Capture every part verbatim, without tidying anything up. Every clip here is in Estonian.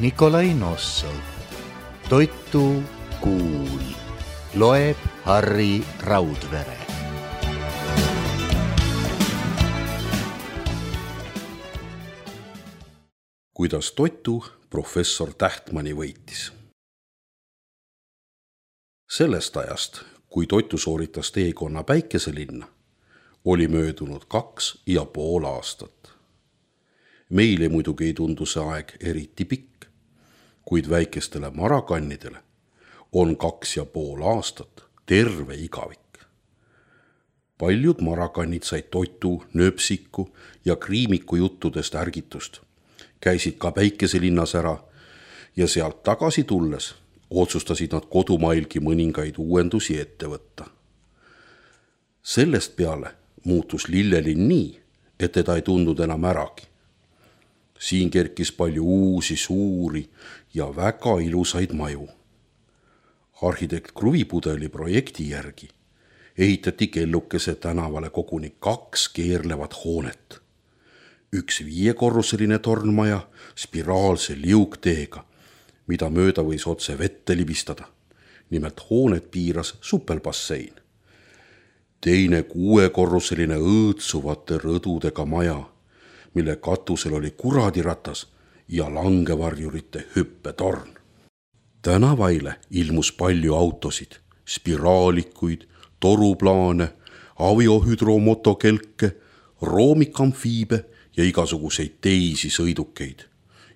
Nikolai Nossov. Toitu kuul. Loeb Harri Raudvere. Kuidas toitu professor Tähtmani võitis. Sellest ajast, kui toitu sooritas teekonna Päikeselinna, oli möödunud kaks ja pool aastat. Meile muidugi ei tundu see aeg eriti pikk, kuid väikestele marakannidele on kaks ja pool aastat terve igavik. Paljud marakannid said toitu, nööpsiku ja kriimiku juttudest ärgitust, käisid ka Päikeselinnas ära ja sealt tagasi tulles otsustasid nad kodumailgi mõningaid uuendusi ette võtta. Sellest peale muutus Lillelinn nii, et teda ei tundnud enam äragi. Siin kerkis palju uusi, suuri ja väga ilusaid maju. Arhitekt Kruvipudeli projekti järgi ehitati Kellukese tänavale koguni kaks keerlevat hoonet. Üks viiekorruseline tornmaja spiraalse liugteega, mida mööda võis otse vette libistada. Nimelt hoonet piiras supelbassein. Teine kuuekorruseline õõtsuvate rõdudega maja, mille katusel oli kuradiratas ja langevarjurite hüppetorn. Tänavaile ilmus palju autosid, spiraalikuid, toruplaane, aviohüdromotokelke, roomikamfiibe ja igasuguseid teisi sõidukeid.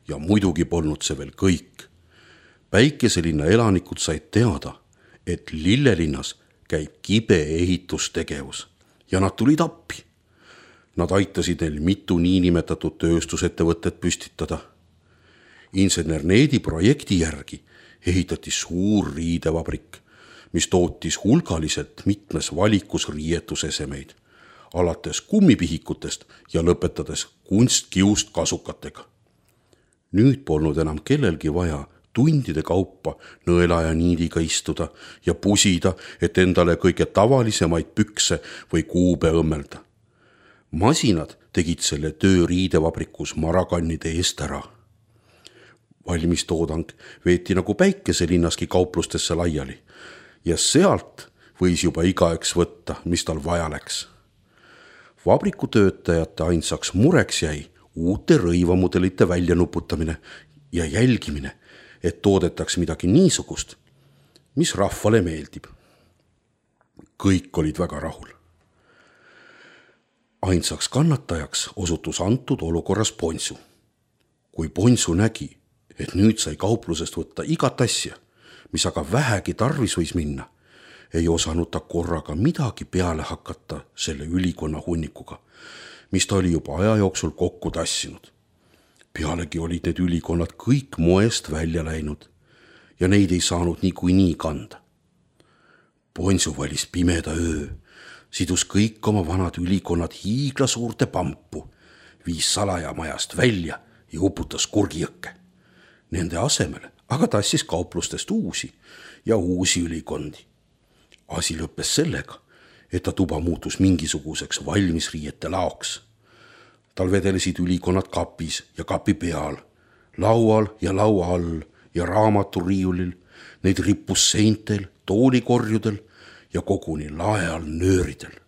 Ja muidugi polnud see veel kõik. Päikeselinna elanikud said teada, et Lillelinnas käib kibe ehitustegevus ja nad tulid appi. Nad aitasid neil mitu niinimetatud tööstusettevõtet püstitada. Insener Needi projekti järgi ehitati suur riidevabrik, mis tootis hulgaliselt mitmes valikus riietusesemeid, alates kummipihikutest ja lõpetades kunstkiust kasukatega. Nüüd polnud enam kellelgi vaja tundide kaupa nõela ja niidiga istuda ja pusida, et endale kõige tavalisemaid pükse või kuube õmmelda. Masinad tegid selle töö riidevabrikus marakannide eest ära. Valmistoodang veeti nagu Päikeselinnaski kauplustesse laiali ja sealt võis juba igaüks võtta, mis tal vaja läks. Vabrikutöötajate ainsaks mureks jäi uute rõivamudelite väljanuputamine ja jälgimine, et toodetaks midagi niisugust, mis rahvale meeldib. Kõik olid väga rahul. Ainsaks kannatajaks osutus antud olukorras Ponsu. Kui Ponsu nägi, et nüüd sai kauplusest võtta igat asja, mis aga vähegi tarvis võis minna, ei osanud ta korraga midagi peale hakata selle ülikonna hunnikuga, mis ta oli juba aja jooksul kokku tassinud. Pealegi olid need ülikonnad kõik moest välja läinud ja neid ei saanud niikuinii kanda. Ponsu valis pimeda öö, sidus kõik oma vanad ülikonnad hiigla suurte pampu, viis salajamajast välja ja uputas kurgijõkke. Nende asemele aga tassis kauplustest uusi ja uusi ülikondi. Asi lõppes sellega, et ta tuba muutus mingisuguseks valmisriiete laoks. Tal vedelesid ülikonnad kapis ja kapi peal, laual ja laua all ja raamaturiiulil, neid rippus seintel, toolikorjudel ja koguni lae all nööridel.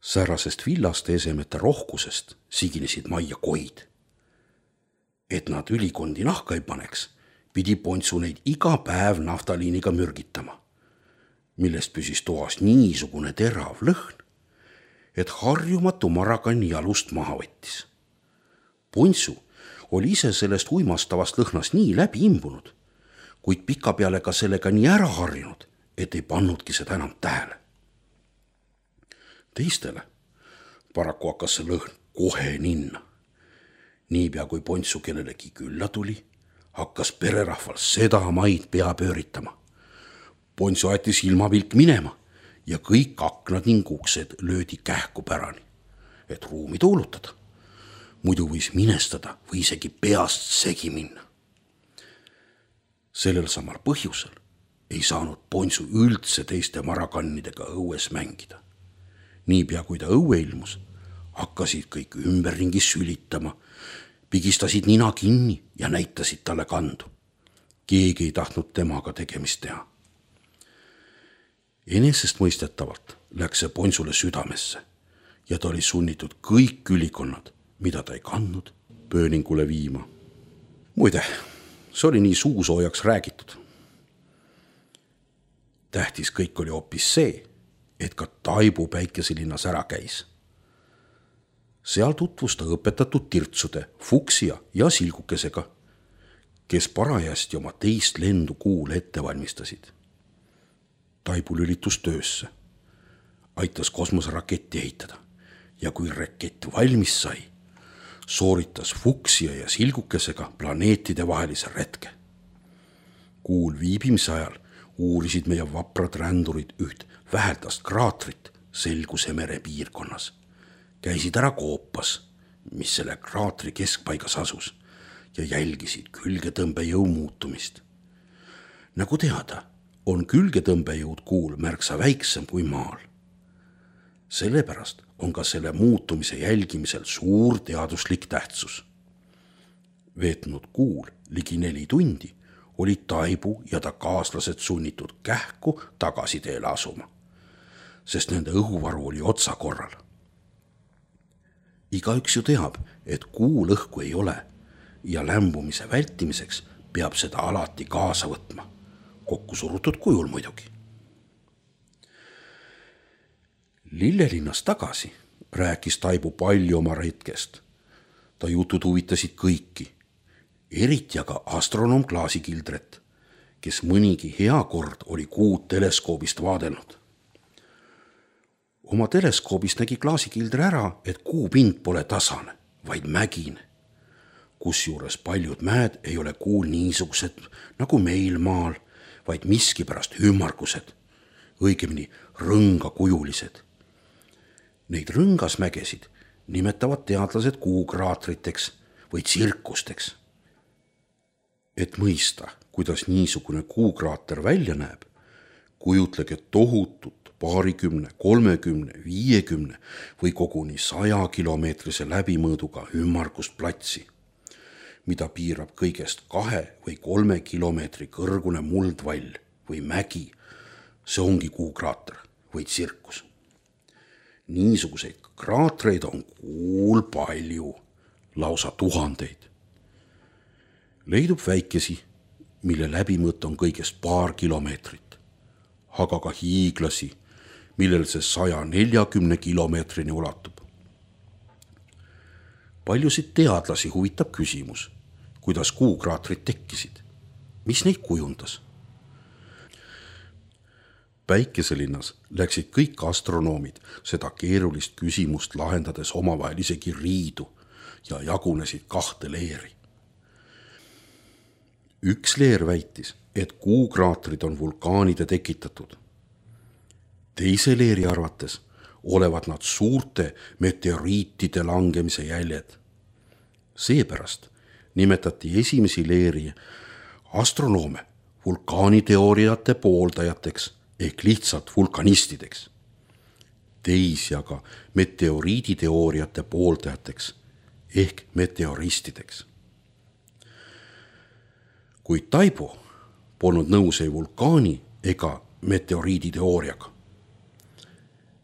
Säärasest villaste esemete rohkusest siginesid majja koid. Et nad ülikondi nahka ei paneks, pidi Ponsu neid iga päev naftaliiniga mürgitama, millest püsis toas niisugune terav lõhn, et harjumatu marakanni jalust maha võttis. Ponsu oli ise sellest uimastavast lõhnast nii läbi imbunud, kuid pika peale ka sellega nii ära harjunud, et ei pannudki seda enam tähele. Teistele paraku hakkas see lõhn kohe ninna. Niipea kui Ponsu kellelegi külla tuli, hakkas pererahval seda maid pea pööritama. Ponsu aeti silmapilk minema ja kõik aknad ning uksed löödi kähku pärani, et ruumi tuulutada. Muidu võis minestada või isegi peast segi minna. Sellel samal põhjusel ei saanud Ponsu üldse teiste marakannidega õues mängida. Niipea kui ta õue ilmus, hakkasid kõik ümberringi sülitama, pigistasid nina kinni ja näitasid talle kandu. Keegi ei tahtnud temaga tegemist teha. Enesestmõistetavalt läks see Ponsule südamesse ja ta oli sunnitud kõik ülikonnad, mida ta ei kandnud, pööningule viima. Muide, see oli nii suusoojaks räägitud. Tähtis kõik oli hoopis see, et ka Taibu Päikeselinnas ära käis. Seal tutvus ta õpetatud tirtsude, Fuksia ja Silgukesega, kes parajasti oma teist lendu Kuul ette valmistasid. Taibu lülitus töösse, aitas kosmoseraketti ehitada ja kui rakett valmis sai, sooritas Fuksia ja Silgukesega planeetide vahelise retke. Kuul viibimise ajal uurisid meie vaprad rändurid üht väheldast kraatrit Selguse mere piirkonnas. Käisid ära koopas, mis selle kraatri keskpaigas asus ja jälgisid külgetõmbejõu muutumist. Nagu teada, on külgetõmbejõud Kuul märksa väiksem kui maal. Sellepärast on ka selle muutumise jälgimisel suur teaduslik tähtsus. Veetnud Kuul ligi neli tundi olid Taibu ja ta kaaslased sunnitud kähku tagasi teele asuma, sest nende õhuvaru oli otsa korral. Igaüks ju teab, et Kuul õhku ei ole ja lämbumise vältimiseks peab seda alati kaasa võtma, kokku surutud kujul muidugi. Lillelinnas tagasi rääkis Taibu palju oma retkest. Ta jutud huvitasid kõiki, eriti aga astronoom Klaasikildret, kes mõnigi hea kord oli Kuud teleskoobist vaadelnud. Oma teleskoobist nägi Klaasikildre ära, et Kuu pind pole tasane, vaid mägine, kusjuures paljud mäed ei ole Kuul niisugused nagu meil maal, vaid miskipärast ümmargused, õigemini rõngakujulised. Neid rõngasmägesid nimetavad teadlased kuukraatriteks või tsirkusteks. Et mõista, kuidas niisugune kuukraater välja näeb, kujutlege tohutut paarikümne, kolmekümne, viiekümne või koguni saja kilomeetrise läbimõõduga ümmargust platsi, mida piirab kõigest kahe või kolme kilomeetri kõrgune muldvall või mägi. See ongi kuukraater või tsirkus. Niisuguseid kraatreid on Kuul palju, lausa tuhandeid. Leidub väikesi, mille läbimõõt on kõigest paar kilomeetrit, aga ka hiiglasi, millel see saja neljakümne kilomeetrini ulatub. Paljusid teadlasi huvitab küsimus, kuidas kuukraatrid tekkisid, mis neid kujundas. Päikeselinnas läksid kõik astronoomid seda keerulist küsimust lahendades omavahel isegi riidu ja jagunesid kahte leeri. Üks leer väitis, et kuukraatrid on vulkaanide tekitatud. Teise leeri arvates olevat nad suurte meteoriitide langemise jäljed. Seepärast nimetati esimesi leeri astronoome vulkaaniteooriate pooldajateks ehk lihtsalt vulkanistideks. Teisi aga meteoriiditeooriate pooldajateks ehk meteoristideks. Kuid Taibu polnud nõus ei vulkaani ega meteoriiditeooriaga.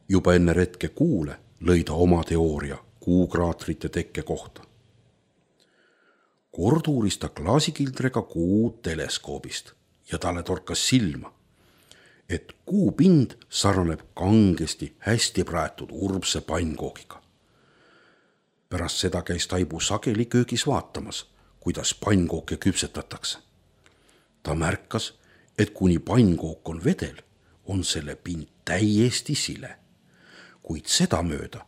Juba enne retke Kuule lõi ta oma teooria kuukraatrite tekke kohta. Kord uuris ta Klaasikildrega Kuu teleskoobist ja talle torkas silma, et Kuu pind sarnaneb kangesti hästi praetud urbse pannkoogiga. Pärast seda käis Taibu sageli köögis vaatamas, kuidas pannkooke küpsetatakse. Ta märkas, et kuni pannkook on vedel, on selle pind täiesti sile, kuid seda mööda,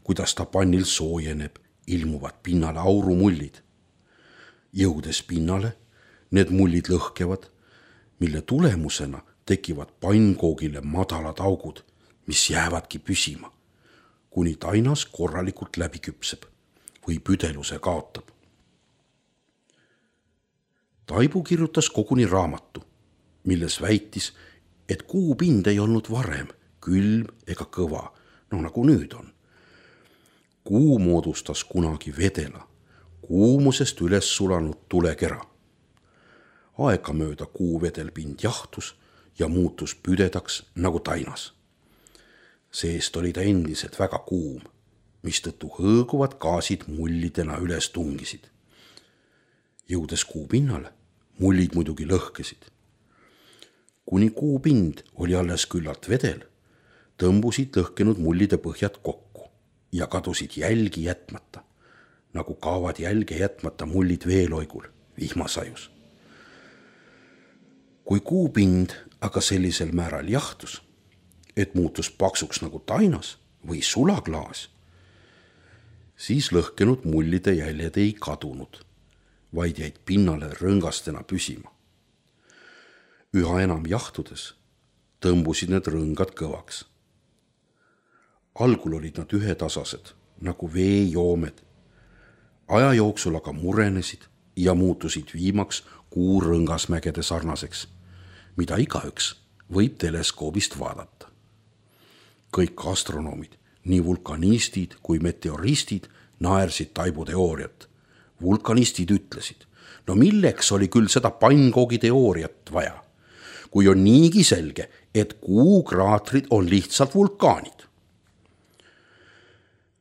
kuidas ta pannil soojeneb, ilmuvad pinnale aurumullid. Jõudes pinnale, need mullid lõhkevad, mille tulemusena tekivad pannkoogile madalad augud, mis jäävadki püsima, kuni tainas korralikult läbi küpseb või püdeluse kaotab. Taibu kirjutas koguni raamatu, milles väitis, et Kuu pind ei olnud varem külm ega kõva, no nagu nüüd on. Kuu moodustas kunagi vedela, kuumusest üles sulanud tulekera. Aegamööda kuu vedelpind jahtus ja muutus püdedaks nagu tainas. Seest oli ta endiselt väga kuum, mistõttu hõõguvad gaasid mullidena üles tungisid. Jõudes kuu pinnale, mullid muidugi lõhkesid. Kuni kuu pind oli alles küllalt vedel, tõmbusid lõhkenud mullide põhjad kokku ja kadusid jälgi jätmata, nagu kaovad jälge jätmata mullid veeloigul vihmasajus. Kui kuu pind aga sellisel määral jahtus, et muutus paksuks nagu tainas või sulaklaas, siis lõhkenud mullide jäljed ei kadunud, vaid jäid pinnale rõngastena püsima. Üha enam jahtudes tõmbusid need rõngad kõvaks. Algul olid nad ühetasased nagu veejoomed. Aja jooksul aga murenesid ja muutusid viimaks kuu rõngasmägede sarnaseks, mida igaüks võib teleskoobist vaadata. Kõik astronoomid, nii vulkanistid kui meteoristid, naersid Taibu teooriat. Vulkanistid ütlesid, no milleks oli küll seda pannkoogi teooriat vaja, kui on niigi selge, et kuukraatrid on lihtsalt vulkaanid.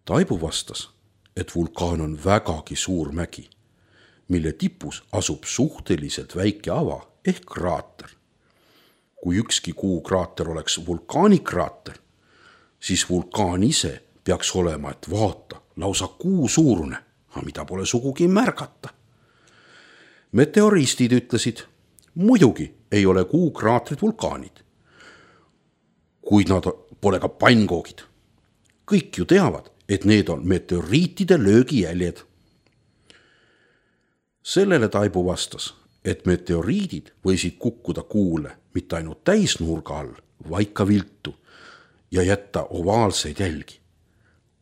Taibu vastas, et vulkaan on vägagi suur mägi, mille tipus asub suhteliselt väike ava ehk kraater. Kui ükski kuukraater oleks vulkaanikraater, siis vulkaan ise peaks olema, et vaata, lausa kuu suurune, mida pole sugugi märgata. Meteoristid ütlesid, muidugi ei ole kuukraatrid vulkaanid, kuid nad pole ka pannkoogid. Kõik ju teavad, et need on meteoriitide löögijäljed. Sellele Taibu vastas, et meteoriidid võisid kukkuda kuule mitte ainult täisnurga all, vaid ka viltu ja jätta ovaalseid jälgi.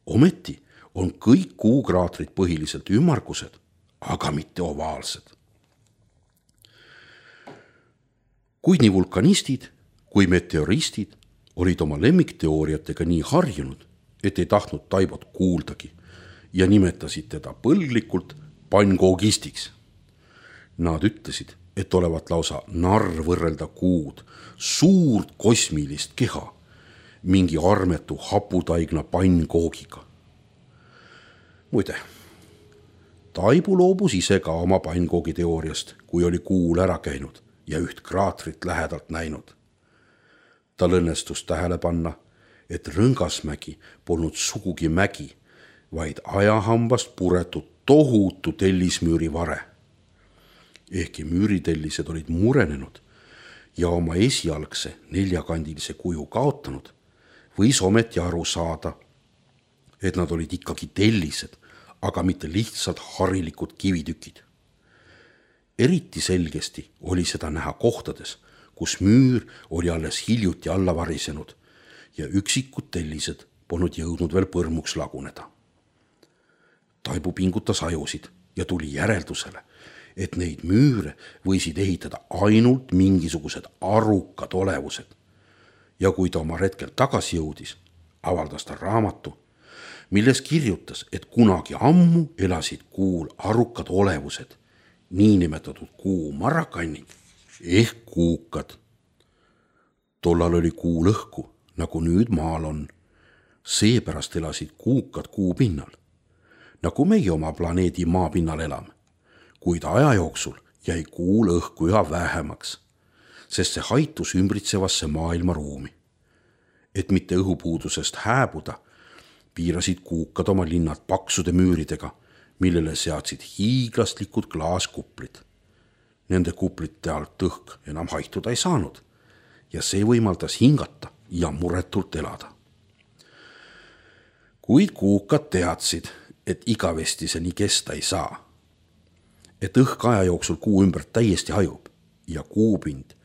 Ometi on kõik kuukraatrid põhiliselt ümmargused, aga mitte ovaalsed. Kuid nii vulkanistid kui meteoristid olid oma lemmikteooriatega nii harjunud, et ei tahtnud Taibot kuuldagi ja nimetasid teda põlglikult pannkoogistiks. Nad ütlesid, et olevat lausa narr võrrelda kuud, suurt kosmilist keha, mingi armetu haputaigna pannkoogiga. Muide, Taibu loobus ise ka oma pannkoogi teooriast, kui oli kuul ära käinud ja üht kraatrit lähedalt näinud. Tal õnnestus tähele panna, et rõngasmägi polnud sugugi mägi, vaid ajahambast puretud tohutu tellismüüri vare. Ehkki müüritellised olid murenenud ja oma esialgse neljakandilise kuju kaotanud, võis ometi aru saada, et nad olid ikkagi tellised, aga mitte lihtsalt harilikud kivitükid. Eriti selgesti oli seda näha kohtades, kus müür oli alles hiljuti alla varisenud ja üksikud tellised polnud jõudnud veel põrmuks laguneda. Taibu pingutas ajusid ja tuli järeldusele, et neid müüre võisid ehitada ainult mingisugused arukad olevused. Ja kui ta oma retkel tagasi jõudis, avaldas ta raamatu, milles kirjutas, et kunagi ammu elasid kuul arukad olevused, niinimetatud kuu marrakannid ehk kuukad. Tollal oli kuu lõhku, nagu nüüd maal on. Seepärast elasid kuukad kuu pinnal, nagu meie oma planeedi maa pinnal elame. Kuid aja jooksul jäi kuu lõhku üha vähemaks, sest see haitus ümbritsevasse maailmaruumi. Et mitte õhupuudusest hääbuda, piirasid kuukad oma linnad paksude müüridega, millele seadsid hiiglaslikud klaaskuplid. Nende kuplite alt õhk enam haihtuda ei saanud ja see võimaldas hingata ja muretult elada. Kuid kuukad teadsid, et igavesti see nii kesta ei saa. Et õhk aja jooksul kuu ümbert täiesti hajub ja kuupind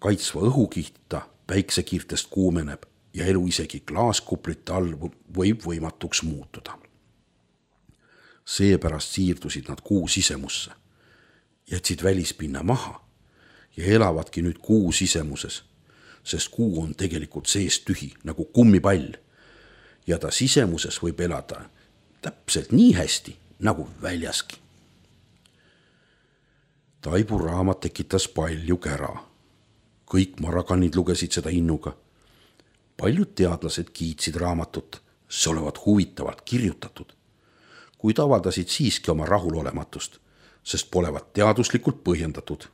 kaitsva õhukihtita päiksekiirtest kuumeneb ja elu isegi klaaskuplite all võib võimatuks muutuda. Seepärast siirdusid nad kuu sisemusse, jätsid välispinna maha ja elavadki nüüd kuu sisemuses, sest kuu on tegelikult sees tühi nagu kummipall ja ta sisemuses võib elada täpselt nii hästi, nagu väljaski. Taibu raamat tekitas palju kära. Kõik marakanid lugesid seda innuga. Paljud teadlased kiitsid raamatut, see olevat huvitavalt kirjutatud, kuid avaldasid siiski oma rahulolematust, sest polevat teaduslikult põhjendatud.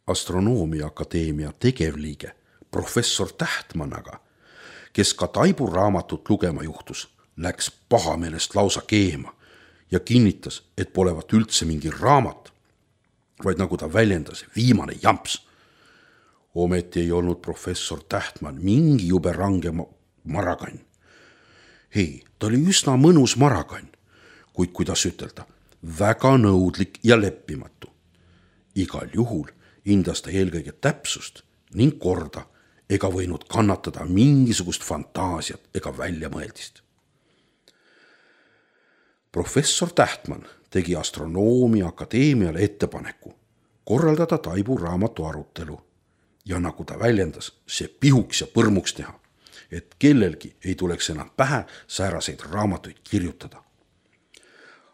Astronoomia Akadeemia tegevliige professor Tähtman aga, kes ka Taibu raamatut lugema juhtus, läks pahameelest lausa keema ja kinnitas, et polevat üldse mingi raamat, vaid nagu ta väljendas, viimane jamps. Ometi ei olnud professor Tähtman mingi jube range marakann. Hei, ta oli üsna mõnus marakann, kuid kuidas ütelda, väga nõudlik ja leppimatu. Igal juhul hindas ta eelkõige täpsust ning korda ega võinud kannatada mingisugust fantaasiat ega väljamõeldist. Professor Tähtman tegi Astronoomia Akadeemiale ettepaneku korraldada Taibu raamatu arutelu ja nagu ta väljendas, see pihuks ja põrmuks teha, et kellelgi ei tuleks enam pähe sääraseid raamatuid kirjutada.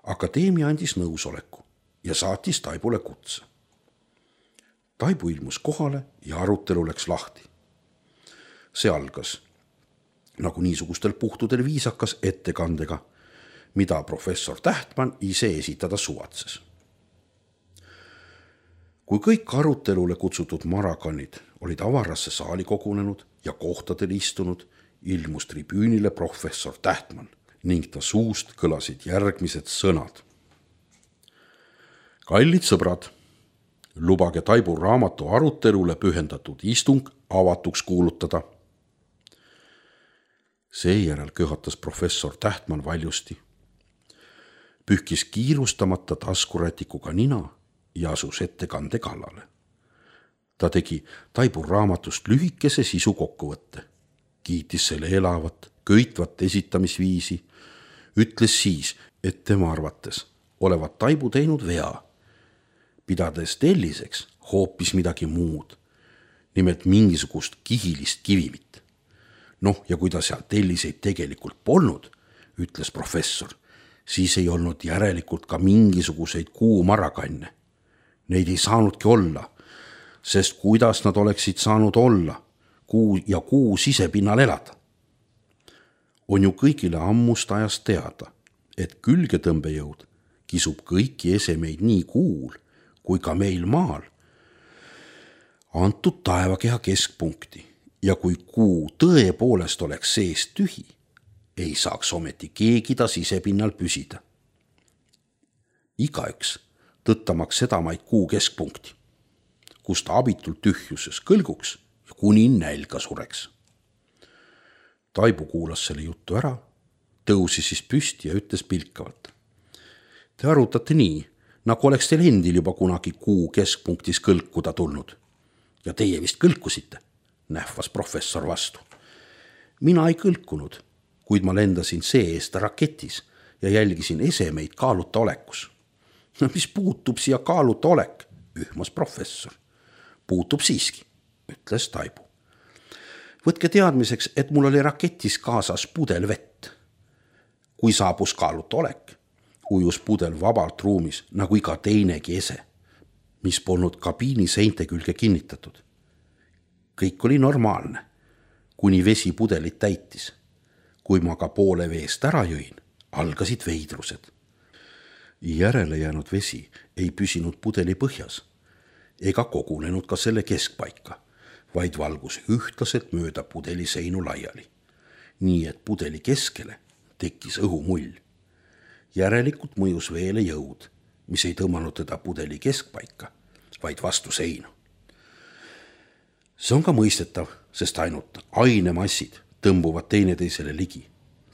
Akadeemia andis nõusoleku ja saatis Taibule kutse. Taibu ilmus kohale ja arutelu läks lahti. See algas nagu niisugustel puhtudel viisakas ettekandega, mida professor Tähtman ise esitada suvatses. Kui kõik arutelule kutsutud marakanid olid avarasse saali kogunenud ja kohtadel istunud, ilmus tribüünile professor Tähtman ning ta suust kõlasid järgmised sõnad. Kallid sõbrad, lubage Taibu raamatu arutelule pühendatud istung avatuks kuulutada. Seejärel köhatas professor Tähtman valjusti, pühkis kiirustamata taskurätikuga nina ja asus ettekande kallale. Ta tegi Taibu raamatust lühikese sisu kokkuvõtte, kiitis selle elavat, köitvat esitamisviisi, ütles siis, et tema arvates olevat Taibu teinud vea, pidades telliseks hoopis midagi muud, nimelt mingisugust kihilist kivimit. Noh, ja kui ta seal telliseid tegelikult polnud, ütles professor, siis ei olnud järelikult ka mingisuguseid kuumarakanne. Neid ei saanudki olla, sest kuidas nad oleksid saanud olla kuu ja kuu sisepinnal elada. On ju kõigile ammust ajast teada, et külgetõmbejõud kisub kõiki esemeid nii kuul kui ka meil maal antud taevakeha keskpunkti ja kui kuu tõepoolest oleks seest tühi, ei saaks ometi keegi ta sisepinnal püsida. Igaüks tõttamaks sedamaid kuu keskpunkti, kus ta abitult tühjuses kõlguks ja kuni nälga sureks. Taibu kuulas selle juttu ära, tõusis siis püsti ja ütles pilkavalt. Te arutate nii, nagu oleks teil endil juba kunagi kuu keskpunktis kõlkuda tulnud. Ja teie vist kõlkusite, nähvas professor vastu. Mina ei kõlkunud, kuid ma lendasin see-eest raketis ja jälgisin esemeid kaaluta olekus. No mis puutub siia kaaluta olek, ühmas professor. Puutub siiski, ütles Taibu. Võtke teadmiseks, et mul oli raketis kaasas pudel vett. Kui saabus kaaluta olek, ujus pudel vabalt ruumis nagu iga teinegi ese, mis polnud kabiini seinte külge kinnitatud. Kõik oli normaalne, kuni vesi pudelit täitis. Kui ma ka poole veest ära jõin, algasid veidrused. Järele jäänud vesi ei püsinud pudeli põhjas ega kogunenud ka selle keskpaika, vaid valgus ühtlaselt mööda pudeli seinu laiali, nii et pudeli keskele tekkis õhumull. Järelikult mõjus veele jõud, mis ei tõmmanud teda pudeli keskpaika, vaid vastu seinu. See on ka mõistetav, sest ainult ainemassid tõmbuvad teineteisele ligi.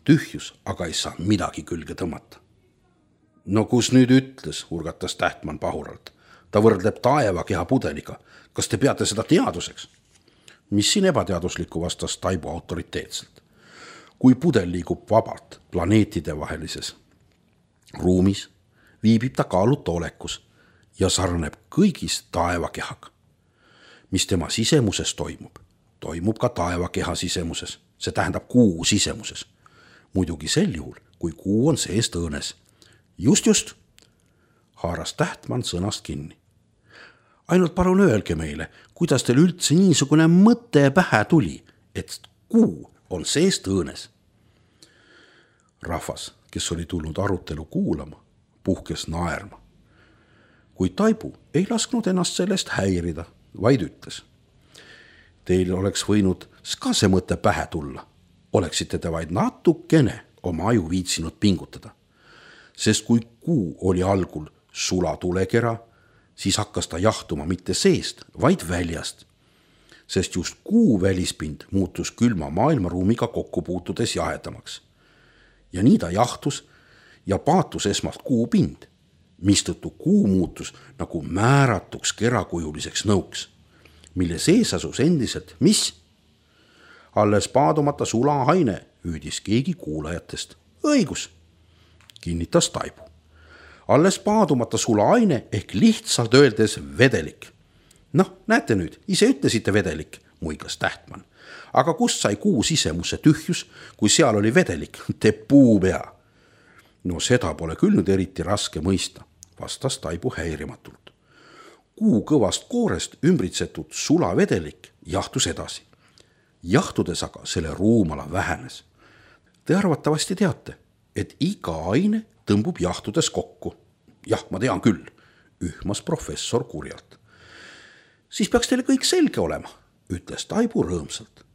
Tühjus aga ei saa midagi külge tõmmata. No kus nüüd ütles, urgatas Tähtman pahuralt. Ta võrdleb taevakeha pudeliga. Kas te peate seda teaduseks? Mis siin ebateaduslikku, vastas Taibu autoriteetselt. Kui pudel liigub vabalt planeetide vahelises ruumis, viibib ta kaaluta olekus ja sarneb kõigis taevakehaga. Mis tema sisemuses toimub, toimub ka taevakeha sisemuses, see tähendab kuu sisemuses. Muidugi sel juhul, kui kuu on seest õõnes. Just, just, haaras Tähtmann sõnast kinni. Ainult palun öelge meile, kuidas teil üldse niisugune mõte pähe tuli, et kuu on seest õõnes. Rahvas, kes oli tulnud arutelu kuulama, puhkes naerma. Kuid Taibu ei lasknud ennast sellest häirida, vaid ütles. Teil oleks võinud ka see mõte pähe tulla. Oleksite te vaid natukene oma aju viitsinud pingutada. Sest kui kuu oli algul sulatulekera, siis hakkas ta jahtuma mitte seest, vaid väljast. Sest just kuu välispind muutus külma maailmaruumiga kokku puutudes jahedamaks. Ja nii ta jahtus ja paatus esmalt kuu pind, mistõttu kuu muutus nagu määratuks kerakujuliseks nõuks, mille sees asus endiselt, mis? Alles paadumata sulahaine, hüüdis keegi kuulajatest. Õigus, kinnitas Taibu. Alles paadumata sulahaine ehk lihtsalt öeldes vedelik. Noh, näete nüüd, ise ütlesite vedelik, muigas Tähtmann. Aga kust sai kuu sisemusse tühjus, kui seal oli vedelik, te puupea? No seda pole küll nüüd eriti raske mõista, vastas Taibu häirimatult. Kuu kõvast koorest ümbritsetud sulavedelik jahtus edasi. Jahtudes aga selle ruumala vähenes. Te arvatavasti teate, et iga aine tõmbub jahtudes kokku. Jah, ma tean küll, ühmas professor kurjalt. Siis peaks teile kõik selge olema, ütles Taibu rõõmsalt.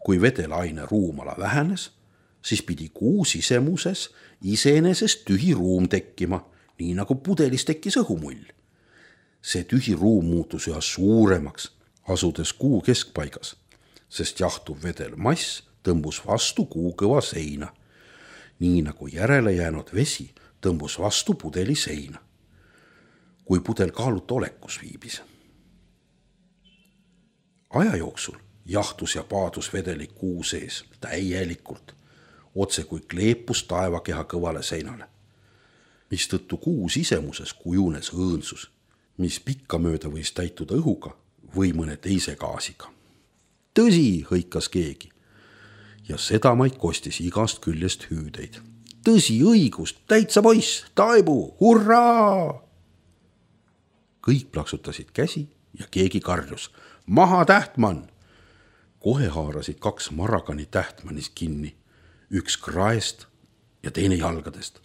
Kui vedelaine ruumala vähenes, siis pidi kuu sisemuses iseenesest tühi ruum tekkima, nii nagu pudelis tekkis õhumull. See tühi ruum muutus üha suuremaks, asudes kuu keskpaigas, sest jahtuv vedel mass tõmbus vastu kuu kõva seina, nii nagu järele jäänud vesi tõmbus vastu pudeli seina, kui pudel kaaluta olekus viibis. Aja jooksul jahtus ja paadus vedelik kuu sees täielikult, otse kui kleepus taevakeha kõvale seinale, mistõttu kuu sisemuses kujunes õõnsus, mis pikkamööda võis täituda õhuga või mõne teise gaasiga. Tõsi, hõikas keegi, ja sedamaid kostis igast küljest hüüdeid. Tõsi, õigust, täitsa poiss, Taibu, hurraa! Kõik plaksutasid käsi ja keegi karjus. Maha Tähtmann! Kohe haarasid kaks Maragani Tähtmannist kinni, üks kraest ja teine jalgadest,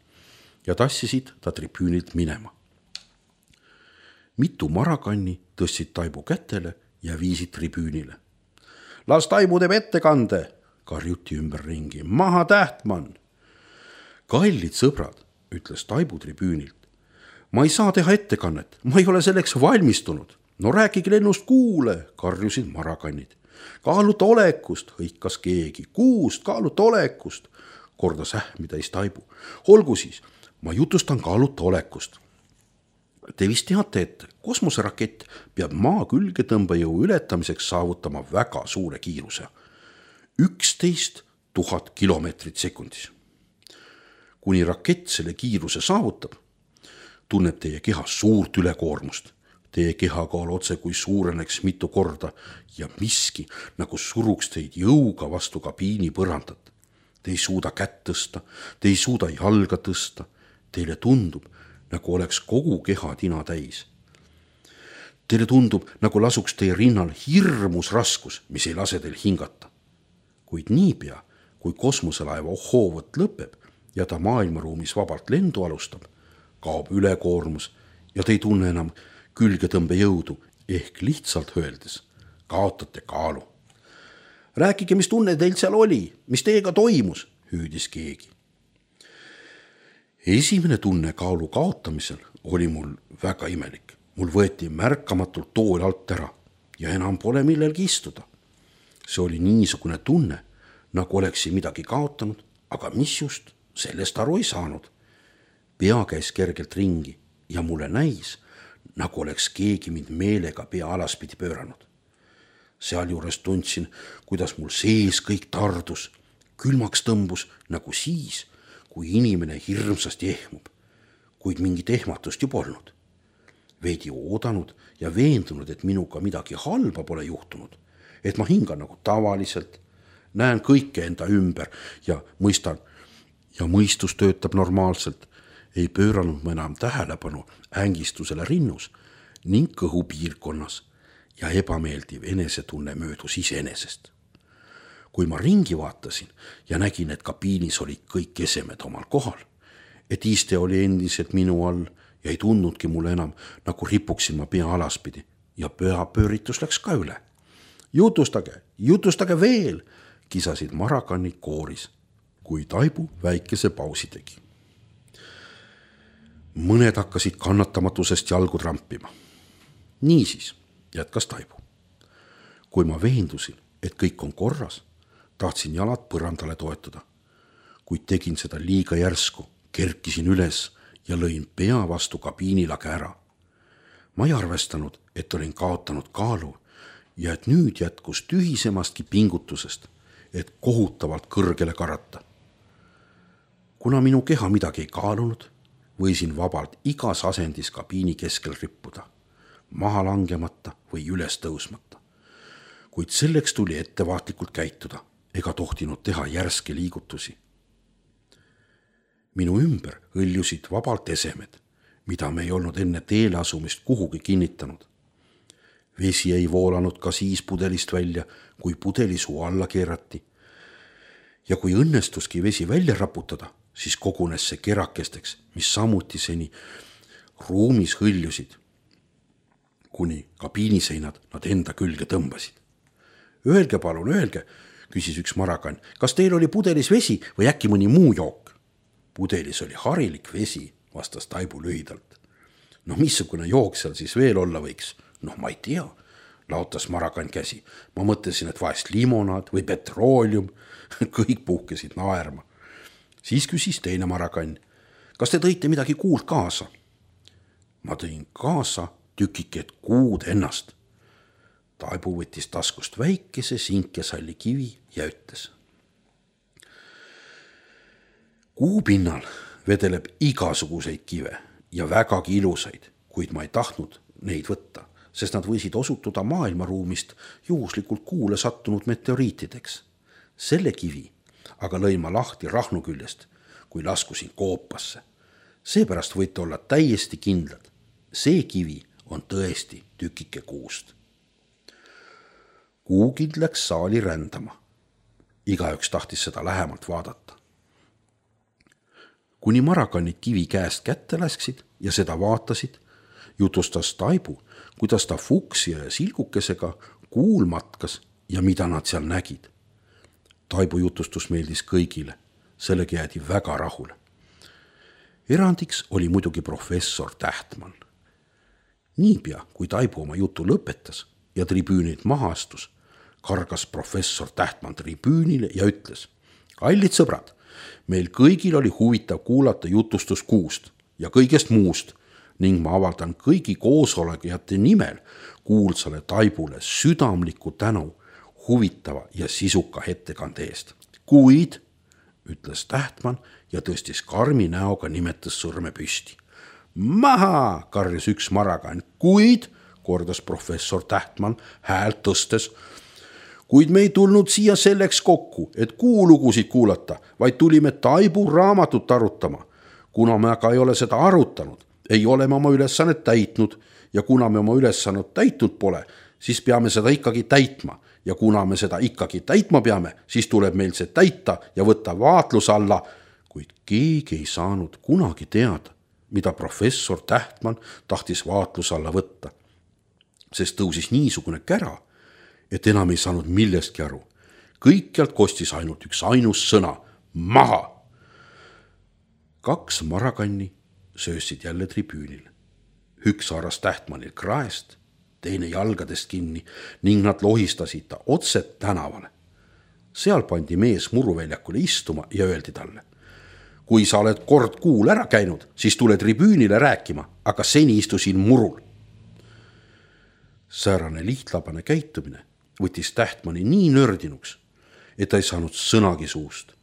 ja tassisid ta tribüünilt minema. Mitu Maragani tõstsid Taibu kätele ja viisid tribüünile. Las Taibu teeb ettekande, karjuti ümber ringi. Maha Tähtmann! Kallid sõbrad, ütles Taibu tribüünilt. Ma ei saa teha ettekannet, ma ei ole selleks valmistunud. No rääkige lennust kuule, karjusid Maraganid. Kaaluta olekust, hõikas keegi. Kuust, kaaluta olekust, kordas ähmitäis Taibu. Olgu siis, ma jutustan kaaluta olekust. Te vist teate, et kosmoserakett peab maa külgetõmbejõu ületamiseks saavutama väga suure kiiruse. üksteist tuhat kilomeetrit sekundis. Kuni rakett selle kiiruse saavutab, tunneb teie kehas suurt ülekoormust. Teie kehakaal otse kui suureneks mitu korda ja miski nagu suruks teid jõuga vastu kabiini põrandat. Te ei suuda kätt tõsta, te ei suuda jalga tõsta. Teile tundub, nagu oleks kogu keha tina täis. Teile tundub, nagu lasuks teie rinnal hirmus raskus, mis ei lase teil hingata. Kuid niipea, kui kosmoselaeva hoovõtt lõpeb ja ta maailmaruumis vabalt lendu alustab, kaob ülekoormus ja te ei tunne enam külgetõmbejõudu ehk lihtsalt öeldes kaotate kaalu. Rääkige, mis tunne teil seal oli, mis teiega toimus, hüüdis keegi. Esimene tunne kaalu kaotamisel oli mul väga imelik. Mul võeti märkamatult tool alt ära ja enam pole millelgi istuda. See oli niisugune tunne, nagu oleksin midagi kaotanud, aga mis just, sellest aru ei saanud. Pea käis kergelt ringi ja mulle näis, nagu oleks keegi mind meelega pea alaspidi pööranud. Sealjuures tundsin, kuidas mul sees kõik tardus, külmaks tõmbus nagu siis, kui inimene hirmsasti ehmub, kuid mingit ehmatust ju polnud. Veidi oodanud ja veendunud, et minuga midagi halba pole juhtunud, et ma hingan nagu tavaliselt, näen kõike enda ümber ja mõistan, ja mõistus töötab normaalselt, ei pööranud ma enam tähelepanu ängistusele rinnus ning kõhupiirkonnas ja ebameeldiv enesetunne möödus iseenesest. Kui ma ringi vaatasin ja nägin, et kabiinis olid kõik esemed omal kohal, et iste oli endiselt minu all ja ei tundnudki mulle enam, nagu ripuksin ma pea alaspidi ja pööritus läks ka üle. Jutustage, jutustage veel, kisasid marakannid kooris, kui Taibu väikese pausi tegi. Mõned hakkasid kannatamatusest jalgu trampima. Niisiis, jätkas Taibu. Kui ma veendusin, et kõik on korras, tahtsin jalad põrandale toetuda. Kuid tegin seda liiga järsku, kerkisin üles ja lõin pea vastu kabiinilage ära. Ma ei arvestanud, et olin kaotanud kaalu ja et nüüd jätkus tühisemastki pingutusest, et kohutavalt kõrgele karata. Kuna minu keha midagi ei kaalunud, võisin vabalt igas asendis kabiini keskel rippuda, maha langemata või üles tõusmata. Kuid selleks tuli ettevaatlikult käituda ega tohtinud teha järske liigutusi. Minu ümber hõljusid vabalt esemed, mida me ei olnud enne teele asumist kuhugi kinnitanud. Vesi ei voolanud ka siis pudelist välja, kui pudeli suu alla keerati. Ja kui õnnestuski vesi välja raputada, siis kogunes see kerakesteks, mis samuti seni ruumis hõljusid, kuni kabiiniseinad nad enda külge tõmbasid. Öelge palun, öelge, küsis üks marakann, kas teil oli pudelis vesi või äkki mõni muu jook? Pudelis oli harilik vesi, vastas Taibu lühidalt. No missugune jook seal siis veel olla võiks? Noh, ma ei tea, laotas marakann käsi. Ma mõtlesin, et vahest limonaad või petroolium. Kõik puhkesid naerma. Siis küsis teine marakann, kas te tõite midagi kuuld kaasa? Ma tõin kaasa tükiked kuud ennast. Taibu võttis taskust väikese sinkesalli kivi ja ütles. Kuu pinnal vedeleb igasuguseid kive ja vägagi ilusaid, kuid ma ei tahtnud neid võtta, sest nad võisid osutuda maailmaruumist juhuslikult kuule sattunud meteoriitideks. Selle kivi aga lõin ma lahti rahnu küljest, kui laskusin koopasse. Seepärast võite olla täiesti kindlad. See kivi on tõesti tükike kuust. Kuugild läks saali rändama. Igaüks tahtis seda lähemalt vaadata. Kuni marakannid kivi käest kätte läksid ja seda vaatasid, jutustas Taibu, kuidas ta fuksi ja silgukesega kuul matkas ja mida nad seal nägid. Taibu jutustus meeldis kõigile, sellega jäädi väga rahule. Erandiks oli muidugi professor Tähtmann. Niipea, kui Taibu oma jutu lõpetas ja tribüünilt maha astus, kargas professor Tähtmann tribüünile ja ütles, kallid sõbrad, meil kõigil oli huvitav kuulata jutustus kuust ja kõigest muust ning ma avaldan kõigi koosolekujate nimel kuulsale Taibule südamliku tänu huvitava ja sisuka ettekande eest. Kuid, ütles Tähtmann ja tõstis karmi näoga nimetas sõrme püsti. Maha, karjus üks marakann, kuid, kordas professor Tähtmann häält tõstes, kuid me ei tulnud siia selleks kokku, et kuulugusid kuulata, vaid tulime Taibu raamatut arutama. Kuna me aga ei ole seda arutanud, ei ole me oma ülesannet täitnud ja kuna me oma ülesannet täitnud pole, siis peame seda ikkagi täitma ja kuna me seda ikkagi täitma peame, siis tuleb meil see täita ja võtta vaatlus alla, kuid keegi ei saanud kunagi teada, mida professor Tähtmann tahtis vaatlus alla võtta, sest tõusis niisugune kära, et enam ei saanud millestki aru. Kõikjalt kostis ainult üks ainus sõna, maha. Kaks marakanni söösid jälle tribüünil. Üks haaras Tähtmannil kraest, teine jalgadest kinni ning nad lohistasid ta otset tänavale. Seal pandi mees muruväljakule istuma ja öeldi talle. Kui sa oled kord kuul ära käinud, siis tule tribüünile rääkima, aga seni istusin murul. Säärane lihtlabane käitumine võttis Tähtmanni nii nördinuks, et ta ei saanud sõnagi suust.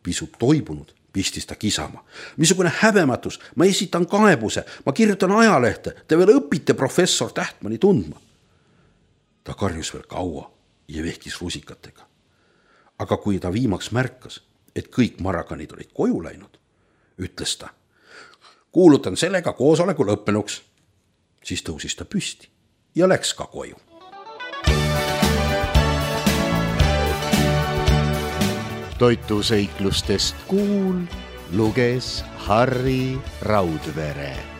Pisut toibunud pistis ta kisama. Missugune häbematus, ma esitan kaebuse, ma kirjutan ajalehte, te veel õpite professor Tähtmanni tundma. Ta karjus veel kaua ja vehkis rusikatega. Aga kui ta viimaks märkas, et kõik marakanid olid koju läinud, ütles ta: kuulutan sellega koosoleku lõppenuks. Siis tõusis ta püsti ja läks ka koju. Toituseiklustest Kuul luges Harri Raudvere.